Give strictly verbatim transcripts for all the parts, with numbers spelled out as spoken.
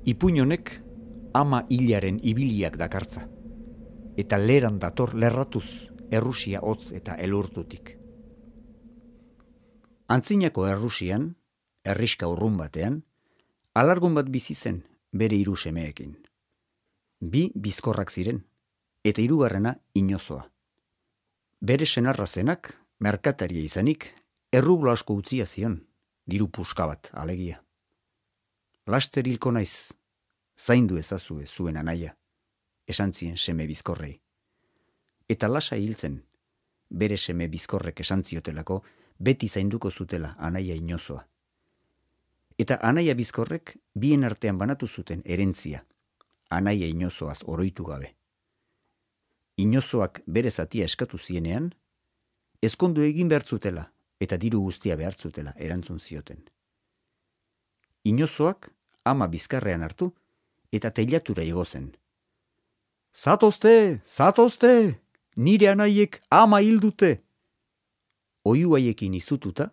Ipuin honek ama hilaren ibiliak dakartza, eta leran dator lerratuz Errusia hotz eta elurtutik. Antzinako Errusian, herriska urrun batean, alargun bat bizi zen bere hiru semeekin. Bi bizkorrak ziren, eta hirugarrena inozoa. Bere senarra zenak, merkataria izanik, errublo asko utzia zion, diru puska bat alegia. Laster hilko naiz, zaindu ezazue zuen anaia, esan zien seme bizkorrei. Eta lasa hiltzen, bere seme bizkorrek esan ziotelako, beti zainduko zutela anaia inozoa. Eta anaia bizkorrek bien artean banatu zuten erentzia, anaia inozoaz oroitu gabe. Inozoak bere zatia eskatu zienean, ezkondu egin behar zutela eta diru guztia behar zutela erantzun zioten. Inozoak ama bizkarrean hartu eta teilatura igo zen. Zatozte, zatozte, nire anaiek ama hildute. Oihu haiekin izututa,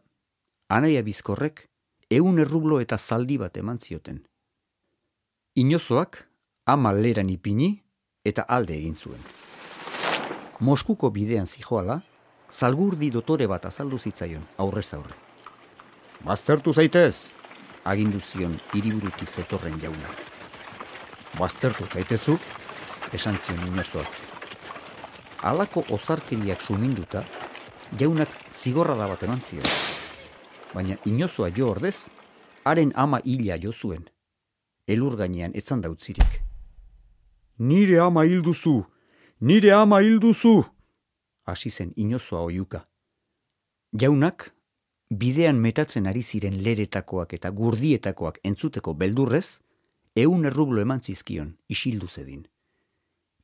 anaia bizkorrek ehun errublo eta zaldi bat eman zioten. Inozoak ama leran ipini eta alde egin zuen. Moskuko bidean zijoala, zalgurdi dotore bat azaldu zitzaion aurrez aurre. Baztertu zaitez, agindu zion hiriburutik zetorren jauna. Baztertu zaitezu, esan zion inozoak. Halako ozarkeriak suminduta, jaunak zigorrada bat eman zion. Baina inozoa jo ordez, haren ama hila jo zuen. Elur gainean etzan dautzirik. Nire ama hilduzu, nire ama hilduzu, hasi zen inozoa oiuka. Jaunak, bidean metatzen ari ziren leretakoak eta gurdietakoak entzuteko beldurrez, ehun errublo eman zizkion isildu zedin.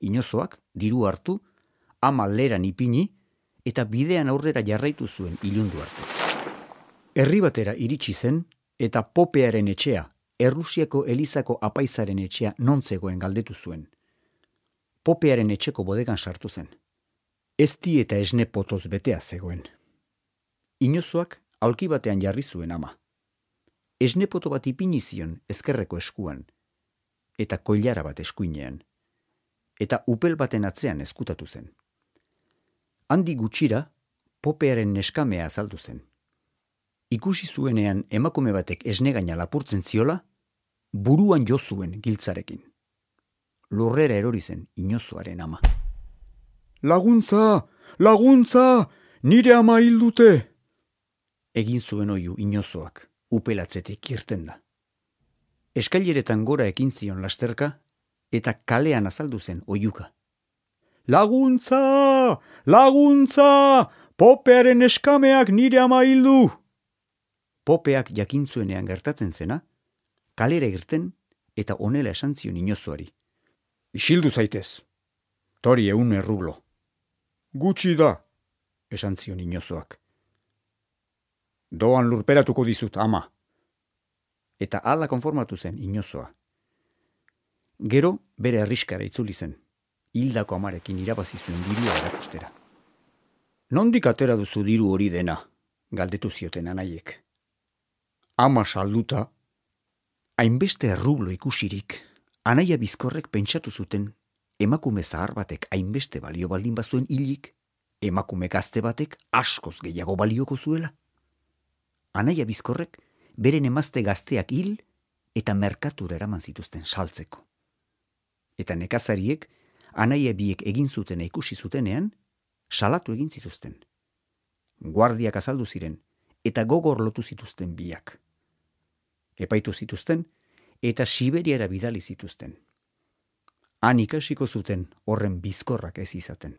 Inozoak, diru hartu, ama leran ipini, eta bidean aurrera jarraitu zuen ilundu arte. Herri batera iritsi zen, eta Popearen etxea, Errusiako Elizako apaizaren etxea non zegoen galdetu zuen. Popearen etxeko bodegan sartu zen. Ezti eta esne potoz betea zegoen. Inozoak aulki batean jarri zuen ama. Esne poto bat ipini zion ezkerreko eskuan, eta koilara bat eskuinean, eta upel baten atzean ezkutatu zen. Handi gutxira, Popearen neskamea azaldu zen. Ikusi zuenean emakume batek esnegaina lapurtzen ziola, buruan jo zuen giltzarekin. Lurrera erori zen inozoaren ama. Laguntza! Laguntza! Nire ama hildute! Egin zuen oihu inozoak, upelatzetik irten da. Eskaileretan gora ekin zion lasterka, eta kalean azaldu zen oihuka. Laguntza! Laguntza! Popearen eskameak nire ama hildu! Popeak jakintzuenean gertatzen zena, kalera irten eta honela esan zion inozoari. Isildu zaitez, tori ehun errublo. Gutxi da, esan zion inozoak. Doan lurperatuko dizut, ama. Eta hala konformatu zen inozoa. Gero bere arriskara itzuli zen, hildako amarekin irabazi zuen dirua erakustera. Nondik atera duzu diru hori dena, galdetu zioten anaiek. Ama salduta, hainbeste errublo ikusirik, anaia bizkorrek pentsatu zuten emakume zahar batek hainbeste balio baldin bazuen hilik, emakume gazte batek askoz gehiago balioko zuela. Anaia bizkorrek beren emazte gazteak hil eta merkatura eraman zituzten saltzeko. Eta nekazariek, anaia biek egin zutena ikusi zutenean, salatu egin zituzten. Guardiak azaldu ziren, eta gogor lotu zituzten biak. Epaitu zituzten, eta Siberiara bidali zituzten. Han ikasiko zuten horren bizkorrak ez izaten.